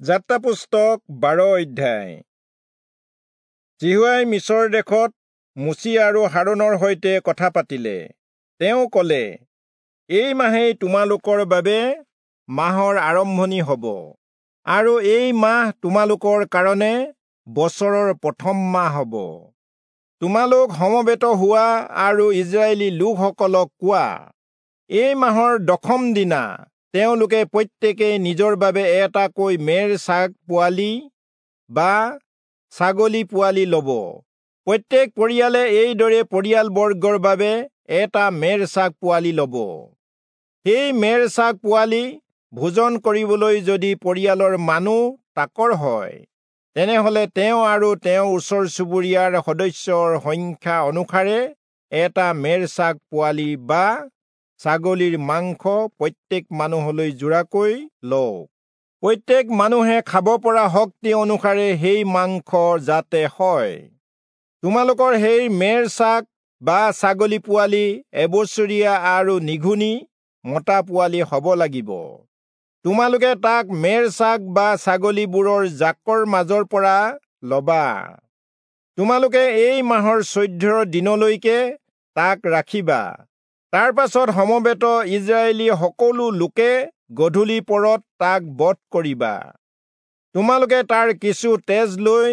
যাত্ৰা পুস্তক 12 অধ্যায়। যিহোৱাই মিচৰ দেশত মোচি আৰু হাৰোণৰ সৈতে কথা পাতিলে। তেওঁ কলে, এই মাহেই তোমালোকৰ বাবে মাহৰ আৰম্ভণি হ'ব, আৰু এই মাহ তোমালোকৰ কাৰণে বছৰৰ প্ৰথম মাহ হ'ব। তোমালোক সমবেত হোৱা আৰু ইজৰাইলী লোকসকলক কোৱা, এই মাহৰ দশম দিনা তেওঁলোকে প্ৰত্যেকেই নিজৰ বাবে এটাকৈ মেৰ ছাগ পোৱালি বা ছাগলী পোৱালি ল'ব। প্ৰত্যেক পৰিয়ালে এইদৰে পৰিয়ালবৰ্গৰ বাবে এটা মেৰ ছাগ পোৱালি ল'ব। সেই মেৰ ছাগ পোৱালি ভোজন কৰিবলৈ যদি পৰিয়ালৰ মানুহ তাকৰ হয়, তেনেহলে তেওঁ আৰু তেওঁৰ ওচৰ চুবুৰীয়াৰ সদস্যৰ সংখ্যা অনুসাৰে এটা মেৰ ছাগ পোৱালি বা ছাগলীৰ মাংস প্ৰত্যেক মানুহলৈ জোৰাকৈ লওক। প্ৰত্যেক মানুহে খাব পৰা শক্তি অনুসাৰে সেই মাংস যাতে হয়। তোমালোকৰ সেই মেৰ ছাগ বা ছাগলী পোৱালি এবছৰীয়া আৰু নিঘুণী মতা পোৱালি হ'ব লাগিব। তোমালোকে তাক মেৰ ছাগ বা ছাগলীবোৰৰ জাকৰ মাজৰ পৰা ল'বা। তোমালোকে এই মাহৰ 14 দিনলৈকে তাক ৰাখিবা। তাৰ পাছত সমবেত ইজৰাইলী সকলো লোকে গধূলি পৰত তাক বধ কৰিবা। তোমালোকে তাৰ কিছু তেজ লৈ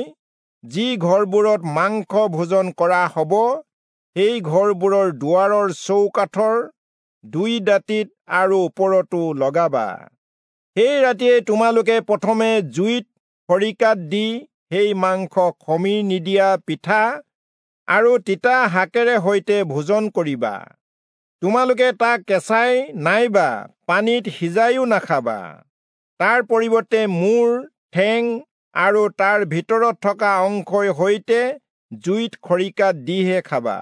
যি ঘৰবোৰত মাংস ভোজন কৰা হ'ব, সেই ঘৰবোৰৰ দুৱাৰৰ চৌকাঠৰ দুই দাঁতিত আৰু ওপৰতো লগাবা। সেই ৰাতিয়ে তোমালোকে প্ৰথমে জুইত খৰিকাত দি সেই মাংস খমীৰ নিদিয়া পিঠা আৰু তিতা শাকেৰে সৈতে ভোজন কৰিবা। তোমালোকে তাক কেঁচাই নাইবা পানীত সিজাইও নাখাবা। তাৰ পৰিৱৰ্তে মূৰ, ঠেং আৰু তাৰ ভিতৰত থকা অংশৰ সৈতে জুইত খৰিকাত দিহে খাবা।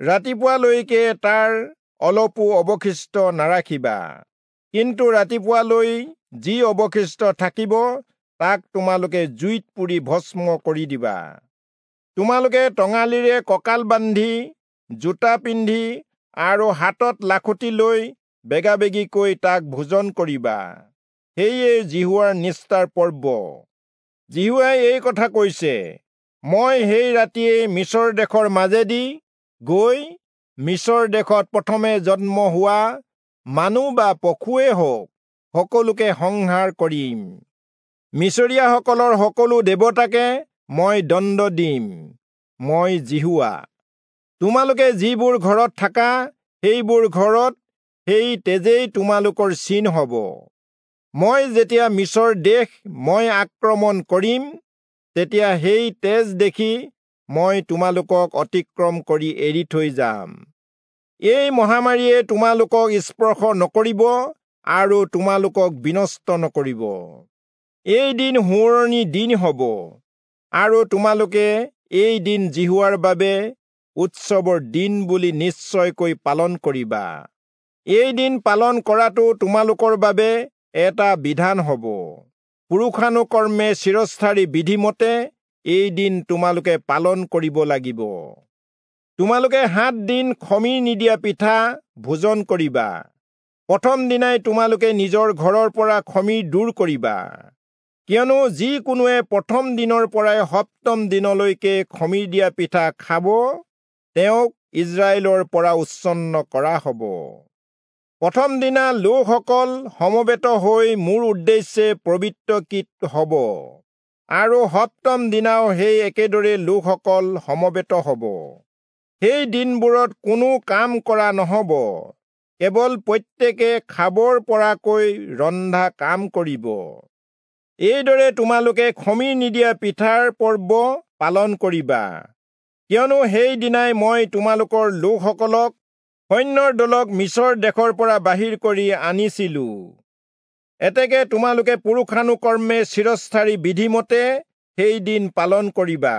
ৰাতিপুৱালৈকে তাৰ অলপো অৱশিষ্ট নাৰাখিবা, কিন্তু ৰাতিপুৱালৈ যি অৱশিষ্ট থাকিব তাক তোমালোকে জুইত পুৰি ভস্ম কৰি দিবা। তোমালোকে টঙালিৰে কঁকাল বান্ধি, জোতা পিন্ধি আৰু হাতত লাখুটি লৈ বেগাবেগিকৈ তাক ভোজন কৰিবা। সেয়ে যিহোৱাৰ নিস্তাৰ পৰ্ব। যিহোৱাই এই কথা কৈছে, মই সেই ৰাতিয়েই মিচৰ দেশৰ মাজেদি গৈ মিচৰ দেশত প্ৰথমে জন্ম হোৱা মানুহ বা পশুৱে হওক সকলোকে সংহাৰ কৰিম। মিচৰীয়াসকলৰ সকলো দেৱতাকে মই দণ্ড দিম। মই যিহোৱা। তোমালোকে যিবোৰ ঘৰত থাকা সেইবোৰ ঘৰত সেই তেজেই তোমালোকৰ চিন হ'ব। মই যেতিয়া মিচৰ দেশ মই আক্ৰমণ কৰিম, তেতিয়া সেই তেজ দেখি মই তোমালোকক অতিক্ৰম কৰি এৰি থৈ যাম। এই মহামাৰীয়ে তোমালোকক স্পৰ্শ নকৰিব আৰু তোমালোকক বিনষ্ট নকৰিব। এই দিন সোঁৱৰণি দিন হ'ব, আৰু তোমালোকে এই দিন যিহোৱাৰ বাবে উৎসৱৰ দিন বুলি নিশ্চয়কৈ পালন কৰিবা। এই দিন পালন কৰাটো তোমালোকৰ বাবে এটা বিধান হ'ব। পুৰুষানুকৰ্মে চিৰস্থায়ী বিধিমতে এই দিন তোমালোকে পালন কৰিব লাগিব। তোমালোকে 7 দিন খমীৰ নিদিয়া পিঠা ভোজন কৰিবা। প্ৰথম দিনাই তোমালোকে নিজৰ ঘৰৰ পৰা খমীৰ দূৰ কৰিবা, কিয়নো যিকোনোৱে প্ৰথম দিনৰ পৰাই সপ্তম দিনলৈকে খমীৰ দিয়া পিঠা খাব, তেওঁক ইজৰাইলৰ পৰা উচ্ছন্ন কৰা হ'ব। প্ৰথম দিনা লোকসকল সমবেত হৈ মোৰ উদ্দেশ্যে পবিত্ৰকৃত হ'ব, আৰু সপ্তম দিনাও সেই একেদৰে লোকসকল সমবেত হ'ব। সেই দিনবোৰত কোনো কাম কৰা নহ'ব, কেৱল প্ৰত্যেকে খাবৰ পৰাকৈ ৰন্ধা কাম কৰিব। এইদৰে তোমালোকে খমীৰ নিদিয়া পিঠাৰ পৰ্ব পালন কৰিবা, কিয়নো সেই দিনাই মই তোমালোকৰ লোকসকলক সৈন্যৰ দলক মিচৰ দেশৰ পৰা বাহিৰ কৰি আনিছিলো। এতেকে তোমালোকে পুৰুষানুকৰ্মে চিৰস্থায়ী বিধিমতে সেই দিন পালন কৰিবা।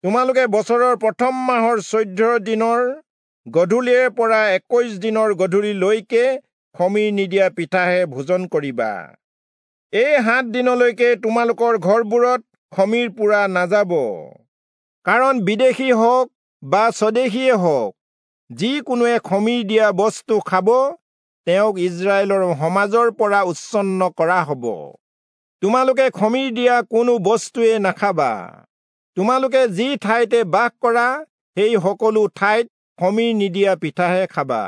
তোমালোকে বছৰৰ প্ৰথম মাহৰ 14 দিনৰ গধূলিৰে পৰা 21 দিনৰ গধূলিলৈকে খমীৰ নিদিয়া পিঠাহে ভোজন কৰিবা। এই 7 দিনলৈকে তোমালোকৰ ঘৰবোৰত খমীৰ পোৰা নাযাব, কাৰণ বিদেশী হওক বা স্বদেশীয়ে হওক, যিকোনোৱে খমীৰ দিয়া বস্তু খাব, তেওঁক ইজৰাইলৰ সমাজৰ পৰা উচ্ছন্ন কৰা হ'ব। তোমালোকে খমিৰ দিয়া কোনো বস্তুৱে নাখাবা। তোমালোকে যি ঠাইতে বাস কৰা সেই সকলো ঠাইত খমিৰ নিদিয়া পিঠাহে খাবা।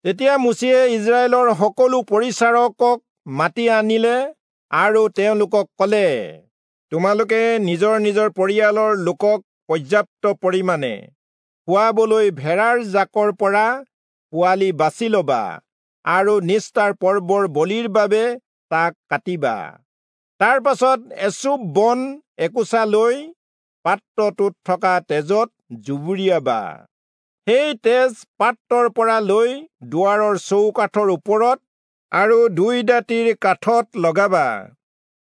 তেতিয়া মোচিয়ে ইজৰাইলৰ সকলো পৰিচাৰকক মাতি আনিলে আৰু তেওঁলোকক ক'লে, তোমালোকে নিজৰ নিজৰ পৰিয়ালৰ লোকক পৰ্যাপ্ত পৰিমাণে খুৱাবলৈ ভেড়াৰ জাকৰ পৰা পোৱালি বাছি ল'বা আৰু নিস্তাৰ পৰ্বৰ বলিৰ বাবে তাক কাটিবা। তাৰ পাছত এচুপ বন একোচা লৈ পাত্ৰটোত থকা তেজত জুবুৰিয়াবা। সেই তেজ পাত্ৰৰ পৰা লৈ দুৱাৰৰ চৌকাঠৰ ওপৰত আৰু দুই দাঁতিৰ কাঠত লগাবা।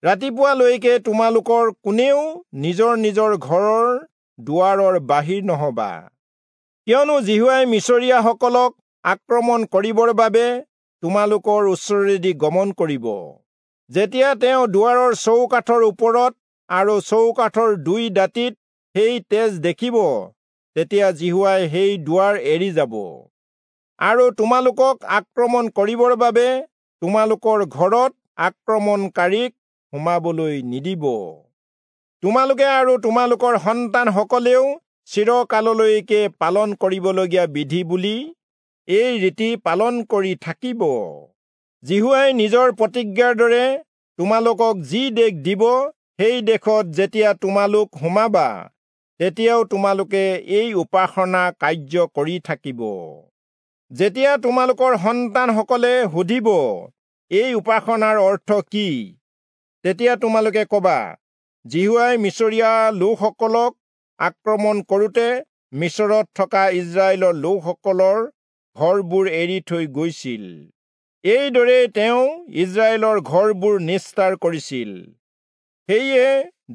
ৰাতিপুৱালৈকে তোমালোকৰ কোনেও নিজৰ নিজৰ ঘৰৰ দুৱাৰৰ বাহিৰ নহবা, কিয়নো যিহোৱাই মিচৰীয়াসকলক আক্ৰমণ কৰিবৰ বাবে তোমালোকৰ ওচৰেদি গমন কৰিব। যেতিয়া তেওঁ দুৱাৰৰ চৌকাঠৰ ওপৰত আৰু চৌকাঠৰ দুই দাঁতিত সেই তেজ দেখিব, তেতিয়া যিহোৱাই সেই দুৱাৰ এৰি যাব আৰু তোমালোকক আক্ৰমণ কৰিবৰ বাবে তোমালোকৰ ঘৰত আক্ৰমণকাৰীক সোমাবলৈ নিদিব। তোমালোকে আৰু তোমালোকৰ সন্তানসকলেও চিৰকাললৈকে পালন কৰিবলগীয়া বিধি বুলি এই ৰীতি পালন কৰি থাকিব। যিহোৱাই নিজৰ প্ৰতিজ্ঞাৰ দৰে তোমালোকক যি দেশ দিব, সেই দেশত যেতিয়া তোমালোক সোমাবা, তেতিয়াও তোমালোকে এই উপাসনা কাৰ্য কৰি থাকিব। যেতিয়া তোমালোকৰ সন্তানসকলে সুধিব, এই উপাসনাৰ অৰ্থ কি, তেতিয়া তোমালোকে কবা, যিহোৱাই মিচৰীয়া লোকসকলক আক্ৰমণ কৰোঁতে মিচৰত থকা ইজৰাইলৰ লোকসকলৰ ঘৰবোৰ এৰি থৈ গৈছিল। এইদৰেই তেওঁ ইজৰাইলৰ ঘৰবোৰ নিস্তাৰ কৰিছিল। সেয়ে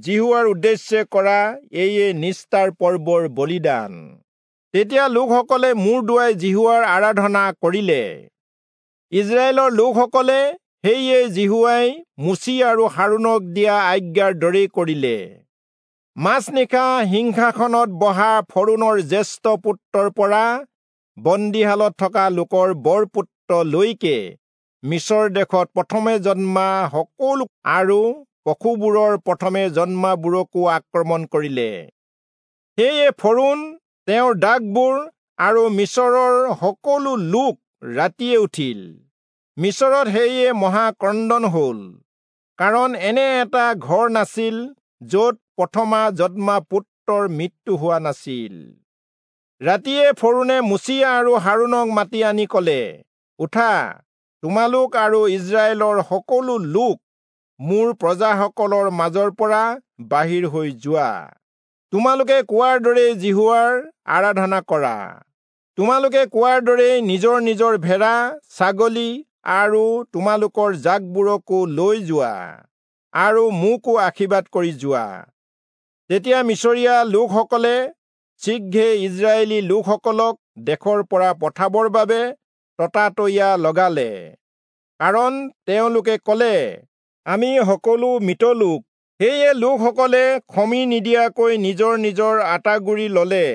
যিহোৱাৰ উদ্দেশ্যে কৰা এইয়ে নিস্তাৰ পৰ্বৰ বলিদান। তেতিয়া লোকসকলে মূৰ দোৱাই যিহোৱাৰ আৰাধনা কৰিলে। ইজৰাইলৰ লোকসকলে সেয়ে যিহোৱাই মোচি আৰু হাৰোণক দিয়া আজ্ঞাৰ দৰেই কৰিলে। মাজনিশা সিংহাসনত বহা ফৰোণৰ জ্যেষ্ঠ পুত্ৰৰ পৰা বন্দীশালত থকা লোকৰ বৰপুত্ৰলৈকে মিচৰ দেশত প্ৰথমে জন্মা সকলো আৰু পশুবোৰৰ প্ৰথমে জন্মাবোৰকো আক্ৰমণ কৰিলে। সেয়ে ফৰোণ, তেওঁৰ দাসবোৰ আৰু মিচৰৰ সকলো লোক ৰাতিয়ে উঠিল। মিচৰত সেয়ে মহাক্ৰন্দন হ'ল, কাৰণ এনে এটা ঘৰ নাছিল য'ত প্ৰথমা জন্মা পুত্ৰৰ মৃত্যু হোৱা নাছিল। ৰাতিয়ে ফৰোণে মোচি আৰু হাৰোণক মাতি আনি ক'লে, উঠা, তোমালোক আৰু ইজৰাইলৰ সকলো লোক মোৰ প্ৰজাসকলৰ মাজৰ পৰা বাহিৰ হৈ যোৱা। তোমালোকে কোৱাৰ দৰেই যিহোৱাৰ আৰাধনা কৰা। তোমালোকে কোৱাৰ দৰেই নিজৰ নিজৰ ভেড়া, ছাগলী আৰু তোমালোকৰ জাকবোৰকো লৈ যোৱা আৰু মোকো আশীৰ্বাদ কৰি যোৱা। তেতিয়া মিচৰীয়া লোকসকলে শীঘ্ৰে ইজৰাইলী লোকসকলক দেশৰ পৰা পঠাবৰ বাবে ততাতৈয়া লগালে, কাৰণ তেওঁলোকে ক'লে, আমি সকলো মৃত লোক। সেয়ে লোকসকলে খমি নিদিয়াকৈ নিজৰ নিজৰ আটাগুড়ি ললে।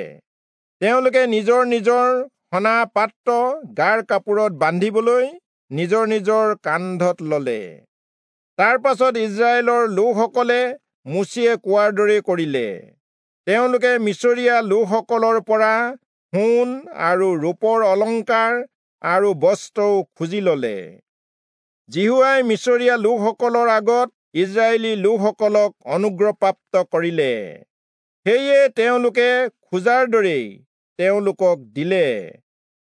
তেওঁলোকে নিজৰ নিজৰ সনা পাত্ৰ গাৰ কাপোৰত বান্ধিবলৈ নিজৰ নিজৰ কান্ধত ললে। তাৰ পাছত ইজৰাইলৰ লোকসকলে মোচিয়ে কোৱাৰ দৰে কৰিলে। তেওঁলোকে মিচৰীয়া লোকসকলৰ পৰা সোণ আৰু ৰূপৰ অলংকাৰ আৰু বস্ত্ৰও খুজি ললে। যিহোৱাই মিচৰীয়া লোকসকলৰ আগত ইজৰাইলী লোকসকলক অনুগ্ৰহপ্ৰাপ্ত কৰিলে, সেয়ে তেওঁলোকে খোজাৰ দৰেই তেওঁলোকক দিলে।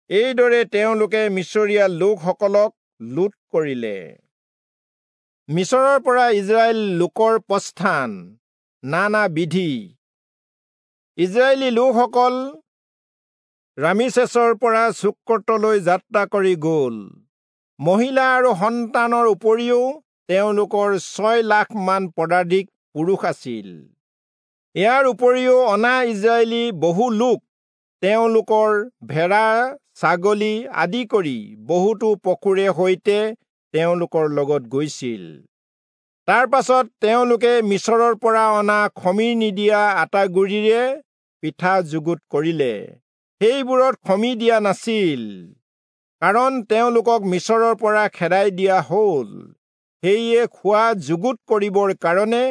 এইদৰে তেওঁলোকে মিচৰীয়া লোকসকলক লুট কৰিলে। মিচৰৰ পৰা ইজৰাইল লোকৰ প্ৰস্থান। নানা বিধি। ইজৰাইলী লোকসকল ৰামিচেছৰ পৰা চুক্কতলৈ যাত্ৰা কৰি গ'ল। মহিলা আৰু সন্তানৰ উপৰিও তেওঁলোকৰ 6 লাখমান পদাধিক পুৰুষ আছিল। ইয়াৰ উপৰিও অনা ইজৰাইলী বহু লোক তেওঁলোকৰ ভেড়া, ছাগলী আদি কৰি বহুতো পশুৰে সৈতে তেওঁলোকৰ লগত গৈছিল। তাৰ পাছত তেওঁলোকে মিচৰৰ পৰা অনা খমিৰ নিদিয়া আটাগুড়িৰে পিঠা যুগুত কৰিলে। সেইবোৰত খমি দিয়া নাছিল, কাৰণ তেওঁলোকক মিচৰৰ পৰা খেদাই দিয়া হ'ল। সেয়ে খোৱা যুগুত কৰিবৰ কাৰণে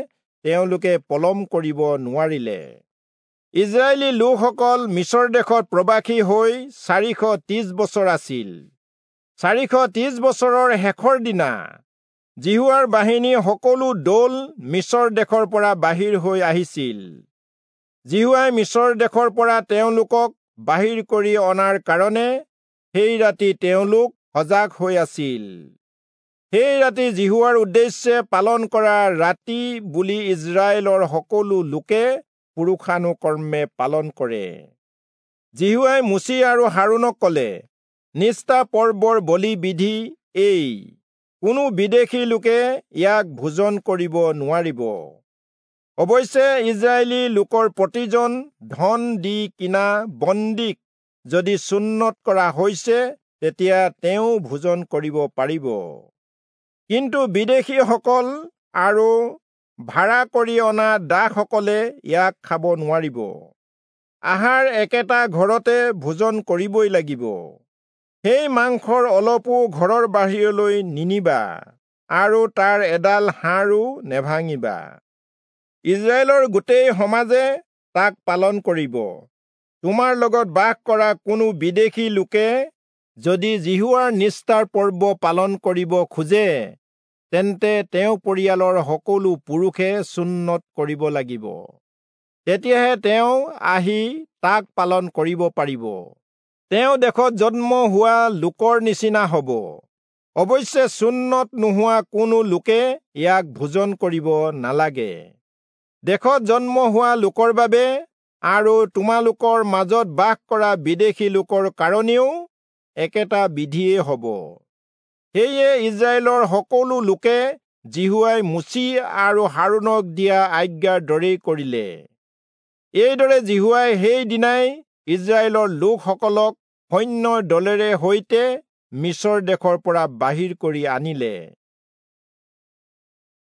তেওঁলোকে পলম কৰিব নোৱাৰিলে। ইজৰাইলী লোকসকল মিচৰ দেশত প্ৰবাসী হৈ 430 বছৰ আছিল। 430 বছৰৰ শেষৰ দিনা যিহোৱাৰ বাহিনী সকলো দল মিচৰ দেশৰ পৰা বাহিৰ হৈ আহিছিল। যিহোৱাই মিচৰ দেশৰ পৰা তেওঁলোকক বাহিৰ কৰি অনাৰ কাৰণে সেই ৰাতি তেওঁলোক সজাগ হৈ আছিল। সেই ৰাতি যিহোৱাৰ উদ্দেশ্যে পালন কৰা ৰাতি বুলি ইজৰাইলৰ সকলো লোকে পুৰুষানুকৰ্মে পালন কৰে। যিহোৱাই মোচি আৰু হাৰোণক কলে, নিষ্ঠা পৰ্বৰ বলি বিধি এই, কোনো বিদেশী লোকে ইয়াক ভোজন কৰিব নোৱাৰিব। অৱশ্যে ইজৰাইলী লোকৰ প্ৰতিজন ধন দি কিনা বন্দীক যদি চুন্নৎ কৰা হৈছে, তেতিয়া তেওঁ ভোজন কৰিব পাৰিব। কিন্তু বিদেশীসকল আৰু ভাড়া কৰি অনা দাসসকলে ইয়াক খাব নোৱাৰিব। আহাৰ একেটা ঘৰতে ভোজন কৰিবই লাগিব। সেই মাংসৰ অলপো ঘৰৰ বাহিৰলৈ নিনিবা আৰু তাৰ এডাল হাড়ো নেভাঙিবা। ইজৰাইলৰ গোটেই সমাজে তাক পালন কৰিব। তোমাৰ লগত বাস কৰা কোনো বিদেশী লোকে যদি যিহোৱাৰ নিষ্ঠাৰ পৰ্ব পালন কৰিব খোজে, তেন্তে তেওঁ পৰিয়ালৰ সকলো পুৰুষে চুন্নৎ কৰিব লাগিব। তেতিয়াহে তেওঁ আহি তাক পালন কৰিব পাৰিব। তেওঁ দেশত জন্ম হোৱা লোকৰ নিচিনা হ'ব। অৱশ্যে চুন্নৎ নোহোৱা কোনো লোকে ইয়াক ভোজন কৰিব নালাগে। দেশত জন্ম হোৱা লোকৰ বাবে আৰু তোমালোকৰ মাজত বাস কৰা বিদেশী লোকৰ কাৰণেও একেটা বিধিয়েই হ'ব। সেয়ে ইজৰাইলৰ সকলো লোকে যিহোৱাই মোচি আৰু হাৰোণক দিয়া আজ্ঞাৰ দৰেই কৰিলে। এইদৰে যিহোৱাই সেই দিনাই ইজৰাইলৰ লোকসকলক সৈন্যৰ দলেৰে সৈতে মিচৰ দেশৰ পৰা বাহিৰ কৰি আনিলে।